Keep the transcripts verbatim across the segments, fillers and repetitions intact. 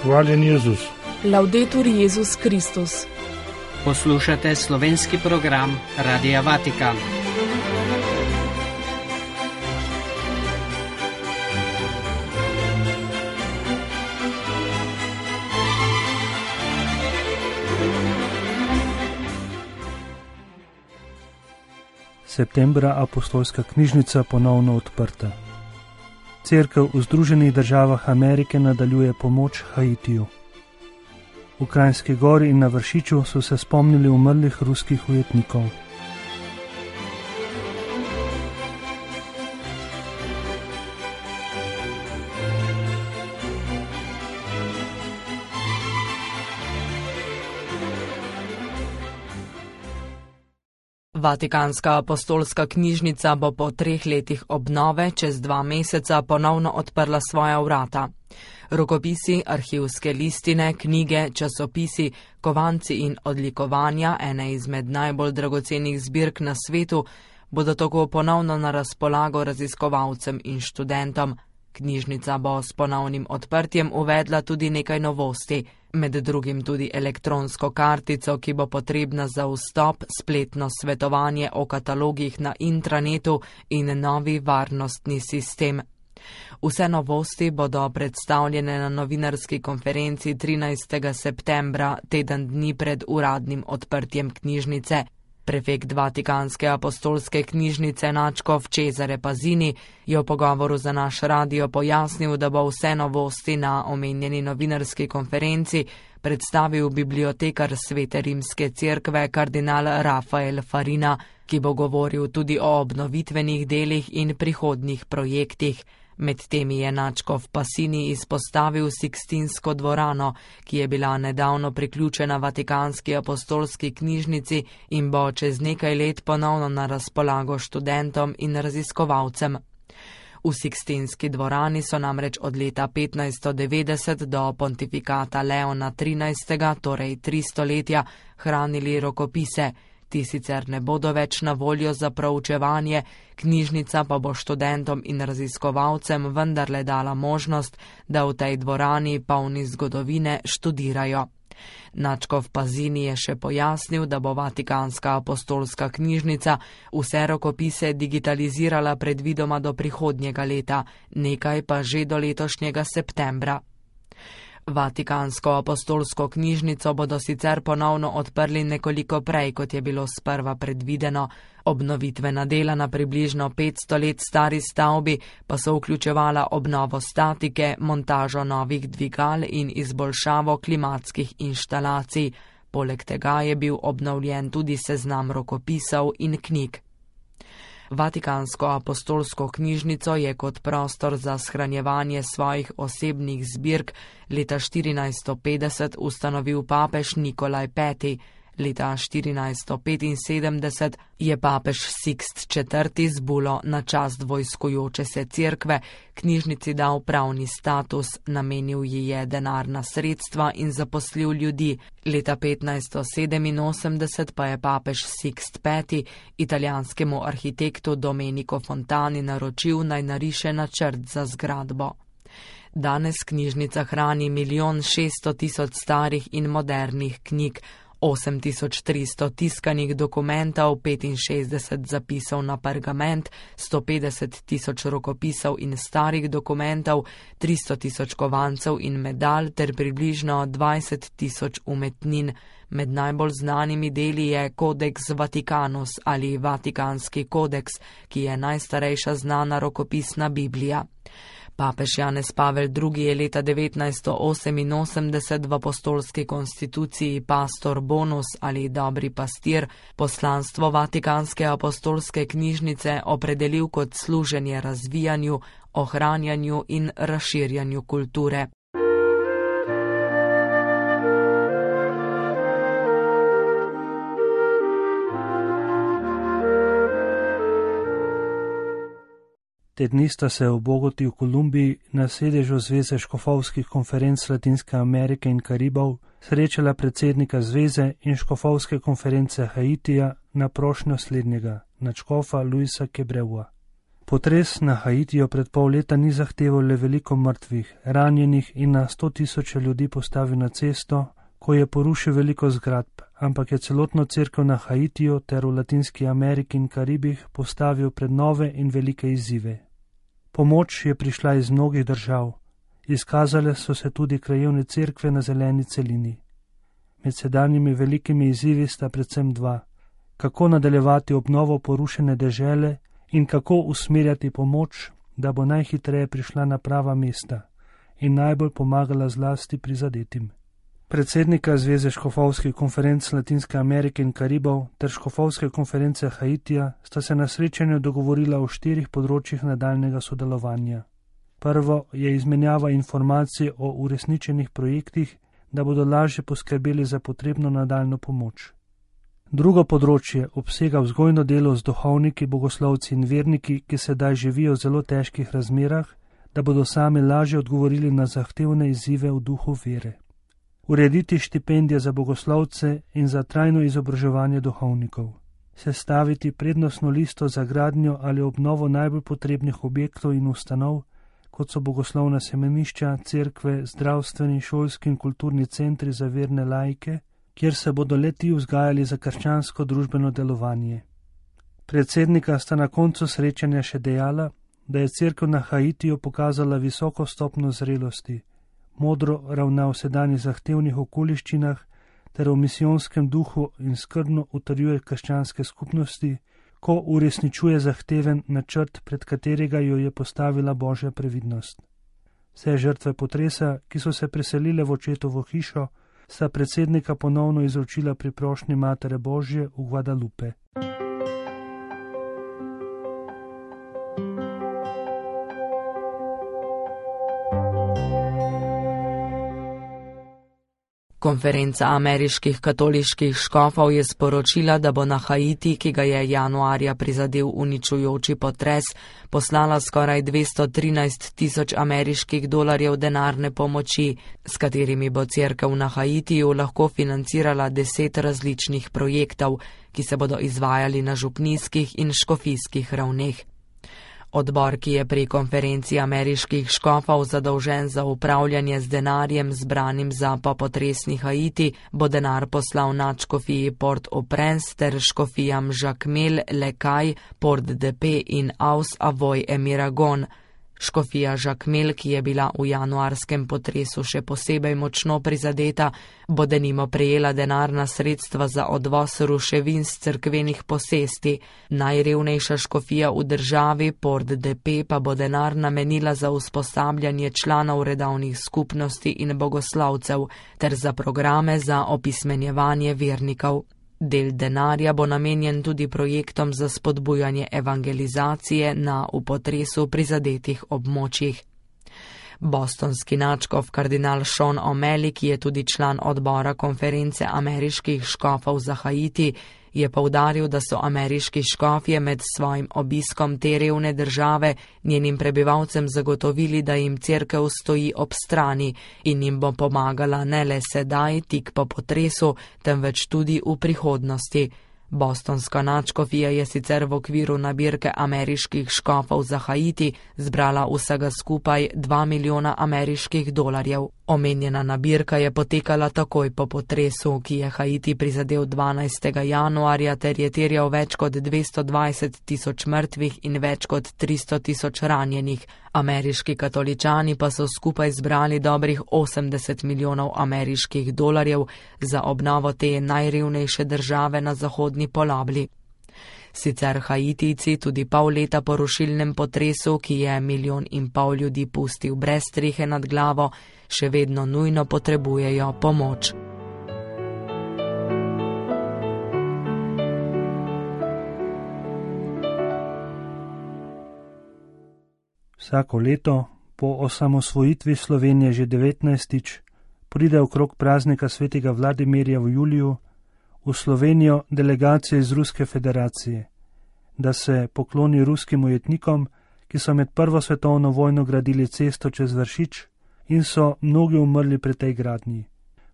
Hvaljen Jezus. Laudetur Jezus Kristus. Poslušate slovenski program Radia Vatikan. Septembra apostolska knjižnica ponovno odprta. Cerkev v Združenih državah Amerike nadaljuje pomoč Haitiju. V Kranjski Gori in na Vršiču so se spomnili umrlih ruskih ujetnikov. Vatikanska apostolska knjižnica bo po treh letih obnove čez dva meseca ponovno odprla svoja vrata. Rokopisi, arhivske listine, knjige, časopisi, kovanci in odlikovanja, ene izmed najbolj dragocenih zbirk na svetu, bodo tako ponovno na razpolago raziskovalcem in študentom. Knjižnica bo s ponovnim odprtjem uvedla tudi nekaj novosti, med drugim tudi elektronsko kartico, ki bo potrebna za vstop, spletno svetovanje o katalogih na intranetu in novi varnostni sistem. Vse novosti bodo predstavljene na novinarski konferenci trinajstega septembra, teden dni pred uradnim odprtjem knjižnice. Prefekt Vatikanske apostolske knjižnice nadškof Cesare Pazini je v pogovoru za naš radio pojasnil, da bo vse novosti na omenjeni novinarski konferenci predstavil bibliotekar Svete rimske cerkve kardinal Rafael Farina, ki bo govoril tudi o obnovitvenih delih in prihodnjih projektih. Med temi je nadškof Pazini izpostavil Sikstinsko dvorano, ki je bila nedavno priključena Vatikanski apostolski knjižnici in bo čez nekaj let ponovno na razpolago študentom in raziskovalcem. V Sikstinski dvorani so namreč od leta petnajststo devetdeset do pontifikata Leona trinajstega, torej tri stoletja, hranili rokopise. Ti sicer ne bodo več na voljo za proučevanje, knjižnica pa bo študentom in raziskovalcem vendarle dala možnost, da v tej dvorani polni zgodovine študirajo. Nadškof Pazini je še pojasnil, da bo Vatikanska apostolska knjižnica vse rokopise digitalizirala predvidoma do prihodnjega leta, nekaj pa že do letošnjega septembra. Vatikansko apostolsko knjižnico bodo sicer ponovno odprli nekoliko prej, kot je bilo sprva predvideno. Obnovitvena dela na približno petsto let stari stavbi pa so vključevala obnovo statike, montažo novih dvigal in izboljšavo klimatskih inštalacij. Poleg tega je bil obnovljen tudi seznam rokopisov in knjig. Vatikansko apostolsko knjižnico je kot prostor za shranjevanje svojih osebnih zbirk leta štirinajststo petdeset ustanovil papež Nikolaj peti. Leta štirinajststo petinsedemdeset je papež Sikst četrti z bulo na čast vojskujoče se cerkve knjižnici dal pravni status, namenil ji je denarna sredstva in zaposlil ljudi. Leta petnajststo sedeminosemdeset pa je papež Sikst peti italijanskemu arhitektu Domenico Fontani naročil, naj nariše načrt za zgradbo. Danes knjižnica hrani milijon šeststo tisoč starih in modernih knjig, osem tisoč tristo tiskanih dokumentov, petinšestdeset zapisov na pergament, sto petdeset tisoč rokopisov in starih dokumentov, tristo tisoč kovancev in medalj ter približno dvajset tisoč umetnin. Med najbolj znanimi deli je Codex Vaticanus ali Vatikanski kodeks, ki je najstarejša znana rokopisna Biblija. Papež Janez Pavel drugi je leta devetnajststo oseminosemdeset v apostolski konstituciji Pastor Bonus ali Dobri pastir poslanstvo Vatikanske apostolske knjižnice opredelil kot služenje razvijanju, ohranjanju in razširjanju kulture. Te dni sta se v Bogoti v Kolumbiji na sedežu Zveze škofovskih konferenc Latinske Amerike in Karibov srečala predsednika zveze in škofovske konference Haitija na prošnjo slednjega, nadškofa Luisa Quebreua. Potres na Haitiju pred pol leta ni zahteval le veliko mrtvih, ranjenih in na sto tisoče ljudi postavil na cesto, ko je porušil veliko zgradb, ampak je celotno cerkev na Haitiju ter v Latinski Ameriki in Karibih postavil pred nove in velike izzive. Pomoč je prišla iz mnogih držav, izkazale so se tudi krajevne cerkve na zeleni celini. Med sedanjimi velikimi izzivi sta predvsem dva: kako nadaljevati obnovo porušene dežele in kako usmerjati pomoč, da bo najhitreje prišla na prava mesta in najbolj pomagala zlasti prizadetim. Predsednika Zveze škofovskih konferenc Latinske Amerike in Karibov ter škofovske konference Haitija sta se na srečanju dogovorila o štirih področjih nadaljnega sodelovanja. Prvo je izmenjava informacij o uresničenih projektih, da bodo lažje poskrbeli za potrebno nadaljno pomoč. Drugo področje obsega vzgojno delo z duhovniki, bogoslovci in verniki, ki sedaj živijo v zelo težkih razmerah, da bodo sami lažje odgovorili na zahtevne izzive v duhu vere. Urediti štipendije za bogoslovce in za trajno izobraževanje duhovnikov. Sestaviti prednostno listo za gradnjo ali obnovo najbolj potrebnih objektov in ustanov, kot so bogoslovna semenišča, cerkve, zdravstveni, šolski in kulturni centri za verne laike, kjer se bodo le-ti vzgajali za krščansko družbeno delovanje. Predsednika sta na koncu srečanja še dejala, da je cerkev na Haitiju pokazala visoko stopnjo zrelosti, modro ravna v sedanjih zahtevnih okoliščinah ter v misijonskem duhu in skrbno utrjuje krščanske skupnosti, ko uresničuje zahteven načrt, pred katerega jo je postavila Božja previdnost. Vse žrtve potresa, ki so se preselile v očetovo hišo, sta predsednika ponovno izročila pri prošnji Matere Božje v Guadalupe. Konferenca ameriških katoliških škofov je sporočila, da bo na Haiti, ki ga je januarja prizadel uničujoči potres, poslala skoraj dvesto trinajst tisoč ameriških dolarjev denarne pomoči, s katerimi bo cerkev na Haitiju lahko financirala deset različnih projektov, ki se bodo izvajali na župnijskih in škofijskih ravneh. Odbor, ki je pri konferenci ameriških škofov zadolžen za upravljanje z denarjem zbranim za popotresni Haiti, bo denar poslal nadškofiji Port-au-Prince ter škofijam Jacmel, Lekaj, Port-de-Paix in Aus-Avoy-Emiragon. Škofija Jacmel, ki je bila v januarskem potresu še posebej močno prizadeta, bo denimo prejela denarna sredstva za odvoz ruševin z cerkvenih posesti. Najrevnejša škofija v državi, Port-de-Paix, pa bo denar namenila za usposabljanje članov redovnih skupnosti in bogoslovcev ter za programe za opismenjevanje vernikov. Del denarja bo namenjen tudi projektom za spodbujanje evangelizacije na v potresu prizadetih območjih. Bostonski nadškof kardinal Sean O'Malley, ki je tudi član odbora konference ameriških škofov za Haiti, je poudaril, da so ameriški škofje med svojim obiskom te revne države njenim prebivalcem zagotovili, da jim cerkev stoji ob strani in jim bo pomagala ne le sedaj, tik po potresu, temveč tudi v prihodnosti. Bostonska nadškofija je sicer v okviru nabirke ameriških škofov za Haiti zbrala vsega skupaj dva milijona ameriških dolarjev. Omenjena nabirka je potekala takoj po potresu, ki je Haiti prizadel dvanajstega januarja ter je terjal več kot dvesto dvajset tisoč mrtvih in več kot tristo tisoč ranjenih. Ameriški katoličani pa so skupaj zbrali dobrih osemdeset milijonov ameriških dolarjev za obnovo te najrevnejše države na zahodni polobli. Sicer Haitijci tudi pol leta po rušilnem potresu, ki je milijon in pol ljudi pustil brez strehe nad glavo, še vedno nujno potrebujejo pomoč. Vsako leto, po osamosvojitvi Slovenije že devetnajstič, pride okrog praznika svetega Vladimirja v juliju v Slovenijo delegacije iz Ruske federacije, da se pokloni ruskim ujetnikom, ki so med prvo svetovno vojno gradili cesto čez Vršič in so mnogi umrli pri tej gradnji.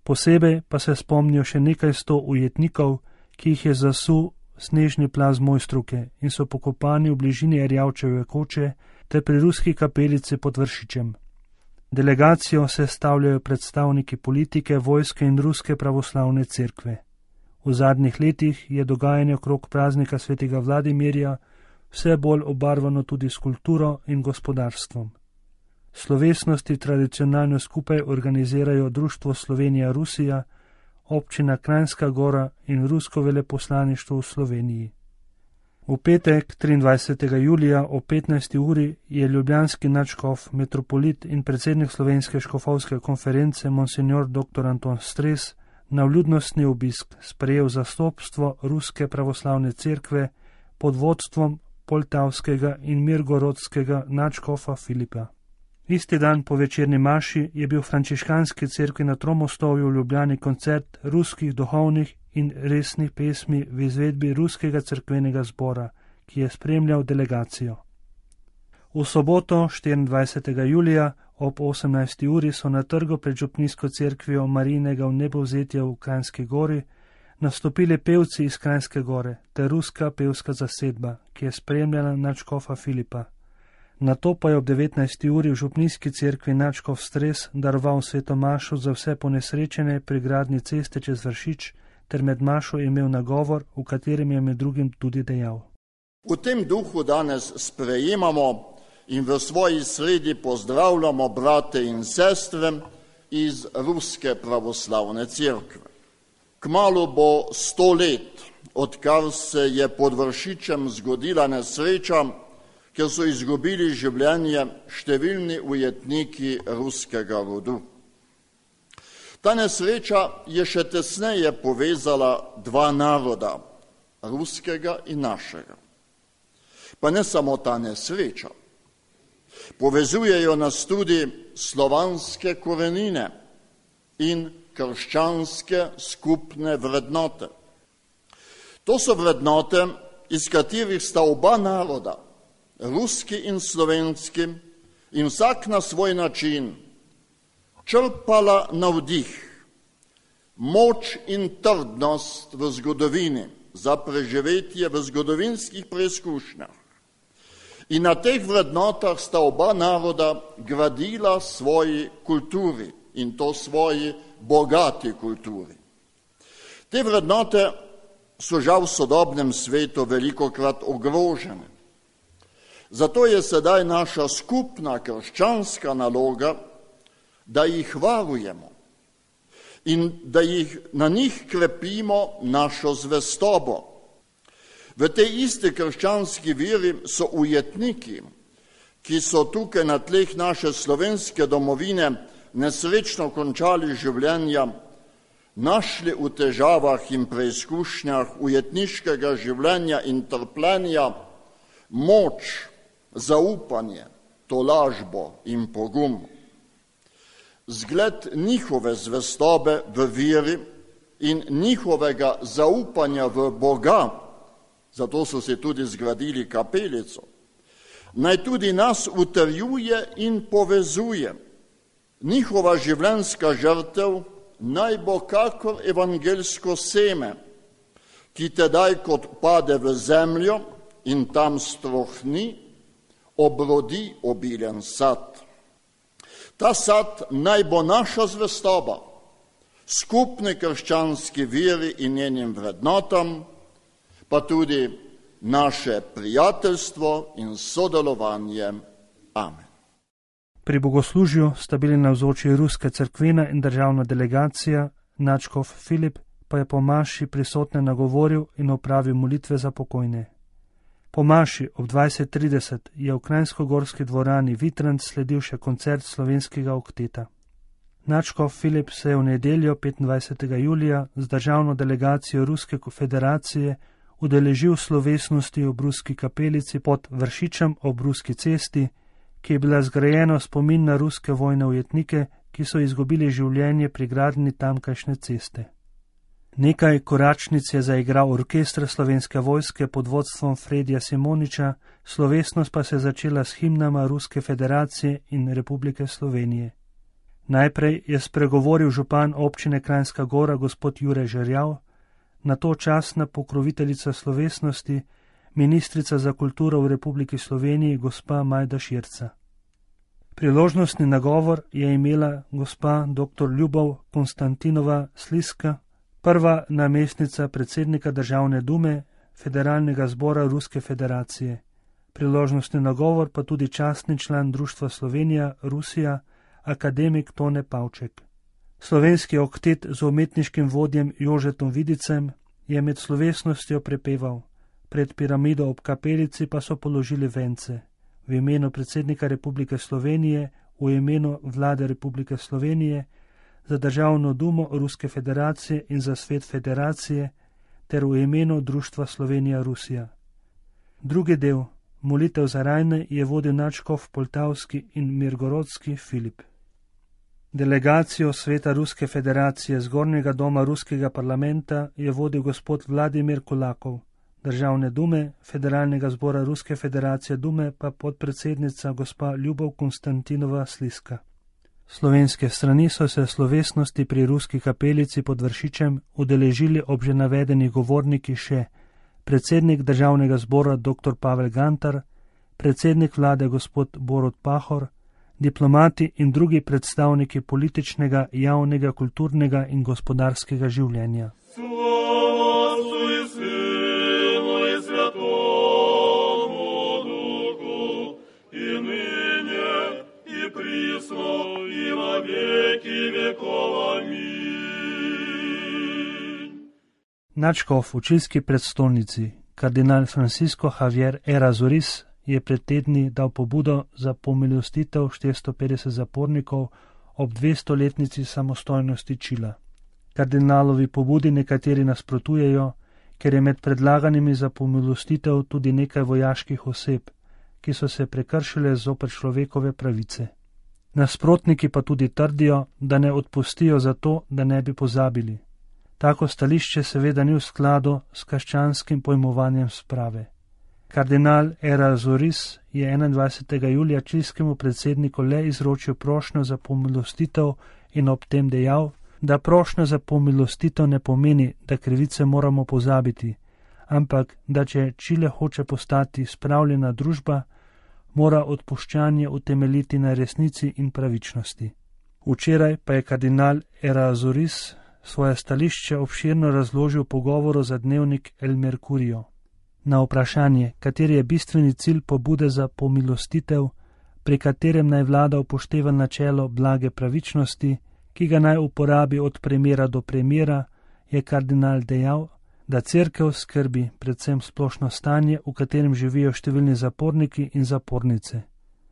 Posebej pa se spomnijo še nekaj sto ujetnikov, ki jih je zasul snežni plaz Mojstruke in so pokopani v bližini Erjavčeve koče ter pri ruski kapelici pod Vršičem. Delegacijo sestavljajo predstavniki politike, vojske in ruske pravoslavne cerkve. V zadnjih letih je dogajanje okrog praznika svetega Vladimirja vse bolj obarvano tudi s kulturo in gospodarstvom. Slovesnosti tradicionalno skupaj organizirajo Društvo Slovenija-Rusija, občina Kranjska Gora in rusko veleposlaništvo v Sloveniji. V petek, triindvajsetega julija ob petnajsti uri je ljubljanski nadškof, metropolit in predsednik Slovenske škofovske konference monsignor dr. Anton Stres na vljudnostni obisk sprejel zastopstvo Ruske pravoslavne cerkve pod vodstvom poltavskega in mirgorodskega nadškofa Filipa. Isti dan po večerni maši je bil v frančiškanski cerkvi na Tromostovju v Ljubljani koncert ruskih duhovnih in resnih pesmi v izvedbi ruskega cerkvenega zbora, ki je spremljal delegacijo. V soboto, štiriindvajsetega julija ob osemnajsti uri so na trgu pred župnijsko cerkvijo Marijinega vnebovzetja v Kranjski Gori nastopili pevci iz Kranjske Gore ter ruska pevska zasedba, ki je spremljala nadškofa Filipa. Nato pa je ob devetnajsti uri v župnijski cerkvi nadškof Stres daroval sveto mašo za vse ponesrečene pri gradnji ceste čez Vršič ter med mašo imel nagovor, v katerem je med drugim tudi dejal. V tem duhu danes sprejemamo in v svoji sredi pozdravljamo brate in sestre iz Ruske pravoslavne cerkve. Kmalu bo sto let, odkar se je pod Vršičem zgodila nesreča, ker so izgubili življenje številni ujetniki ruskega rodu. Ta nesreča je še tesneje povezala dva naroda, ruskega in našega. Pa ne samo ta nesreča. Povezujejo nas tudi slovanske korenine in krščanske skupne vrednote. To so vrednote, iz katerih sta oba naroda, ruski in slovenski, in vsak na svoj način črpala navdih, moč in trdnost v zgodovini za preživetje v zgodovinskih preizkušnjah. In na teh vrednotah sta oba naroda gradila svoji kulturi in to svoji bogati kulturi. Te vrednote so žal v sodobnem svetu velikokrat ogrožene. Zato je sedaj naša skupna krščanska naloga, da jih varujemo in da jih na njih krepimo našo zvestobo. V tej isti krščanski veri so ujetniki, ki so tukaj na tleh naše slovenske domovine nesrečno končali življenja, našli v težavah in preizkušnjah ujetniškega življenja in trpljenja moč, zaupanje, tolažbo in pogum. Zgled njihove zvestobe v veri in njihovega zaupanja v Boga, zato so si tudi zgradili kapelico, naj tudi nas utrjuje in povezuje. Njihova življenjska žrtev naj bo kakor evangelsko seme, ki tedaj kot pade v zemljo in tam strohni, obrodi obilen sad. Ta sad naj bo naša zvestoba, skupni krščanski veri in njenim vrednotam, pa tudi naše prijateljstvo in sodelovanje. Amen. Pri bogoslužju sta bili navzoči ruska cerkvena in državna delegacija, nadškof Filip pa je po maši prisotne nagovoril in opravil molitve za pokojne. Po maši ob dvajset trideset je v Kranjsko-Gorski dvorani Vitrant sledil še koncert slovenskega okteta. Nadškof Filip se je v nedeljo petindvajsetega julija z državno delegacijo Ruske federacije udeležil slovesnosti ob ruski kapelici pod Vršičem ob ruski cesti, ki je bila zgrajena v spomin na ruske vojne ujetnike, ki so izgubili življenje pri gradnji tamkajšnje ceste. Nekaj koračnic je zaigral orkester slovenske vojske pod vodstvom Fredija Simoniča, slovesnost pa se je začela s himnama Ruske federacije in Republike Slovenije. Najprej je spregovoril župan občine Kranjska Gora gospod Jure Žerjav, na to častna pokroviteljica slovesnosti, ministrica za kulturo v Republiki Sloveniji, gospa Majda Širca. Priložnostni nagovor je imela gospa doktor Ljubov Konstantinova Sliska, prva namestnica predsednika Državne dume Federalnega zbora Ruske federacije. Priložnostni nagovor pa tudi častni član Društva Slovenija Rusija, akademik Tone Pavček. Slovenski oktet z umetniškim vodjem Jožetom Vidicem je med slovesnostjo prepeval. Pred piramido ob kapelici pa so položili vence. V imenu predsednika Republike Slovenije, v imenu vlade Republike Slovenije, za Državno dumo Ruske federacije in za svet federacije, ter v imenu Društva Slovenija Rusija. Drugi del, molitev za rajne, je vodil nadškof Poltavski in Mirgorodski Filip. Delegacijo sveta Ruske federacije Zgornjega doma Ruskega parlamenta je vodil gospod Vladimir Kulakov, Državne dume Federalnega zbora Ruske federacije dume pa podpredsednica gospa Ljubov Konstantinova Sliska. Slovenske strani so se slovesnosti pri Ruski kapelici pod Vršičem udeležili ob že navedenih govorniki še predsednik Državnega zbora dr. Pavel Gantar, predsednik vlade gospod Borut Pahor, diplomati in drugi predstavniki političnega, javnega, kulturnega in gospodarskega življenja. Nadškof v čilski prestolnici, kardinal Francisco Javier Errázuriz, je pred tedni dal pobudo za pomilostitev štiristo petdeset zapornikov ob dvestoletnici samostojnosti Čila. Kardinalovi pobudi nekateri nasprotujejo, ker je med predlaganimi za pomilostitev tudi nekaj vojaških oseb, ki so se prekršile zoper človekove pravice. Nasprotniki pa tudi trdijo, da ne odpustijo zato, da ne bi pozabili. Tako stališče seveda ni v skladu s krščanskim pojmovanjem sprave. Kardinal Errázuriz je enaindvajsetega julija čilskemu predsedniku le izročil prošnjo za pomilostitev in ob tem dejal, da prošnja za pomilostitev ne pomeni, da krivice moramo pozabiti, ampak da če Čile hoče postati spravljena družba, mora odpuščanje utemeljiti na resnici in pravičnosti. Včeraj pa je kardinal Errázuriz svoje stališče obširno razložil v pogovoru za dnevnik El Mercurio. Na vprašanje, kateri je bistveni cilj pobude za pomilostitev, pri katerem naj vlada upošteva načelo blage pravičnosti, ki ga naj uporabi od primera do primera, je kardinal dejal, da cerkev skrbi predvsem splošno stanje, v katerem živijo številni zaporniki in zapornice.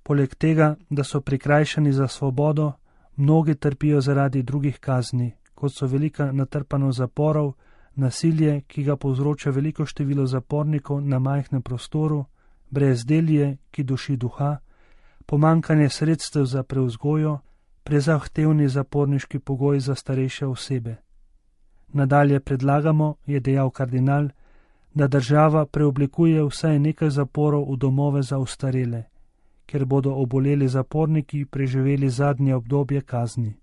Poleg tega, da so prikrajšani za svobodo, mnogi trpijo zaradi drugih kazni, kot so velika natrpanost zaporov, nasilje, ki ga povzroča veliko število zapornikov na majhnem prostoru, brezdelje, ki duši duha, pomankanje sredstev za prevzgojo, prezahtevni zaporniški pogoji za starejše osebe. Nadalje predlagamo, je dejal kardinal, da država preoblikuje vsaj nekaj zaporov v domove za ostarele, ker bodo oboleli zaporniki preživeli zadnje obdobje kazni.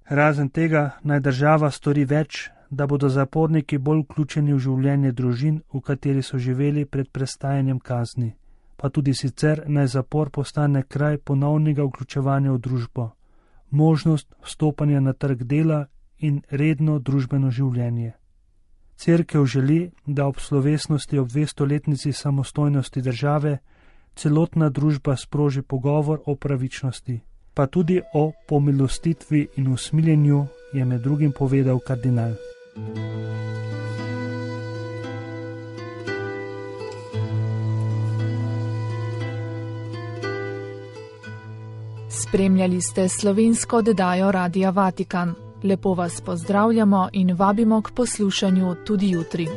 Razen tega naj država stori več, da bodo zaporniki bolj vključeni v življenje družin, v kateri so živeli pred prestajanjem kazni, pa tudi sicer naj zapor postane kraj ponovnega vključevanja v družbo, možnost vstopanja na trg dela in redno družbeno življenje. Cerkev želi, da ob slovesnosti ob dvestoletnici samostojnosti države celotna družba sproži pogovor o pravičnosti, pa tudi o pomilostitvi in usmiljenju, je med drugim povedal kardinal. Spremljali ste slovensko oddajo Radia Vatikan. Lepo vas pozdravljamo in vabimo k poslušanju tudi jutri.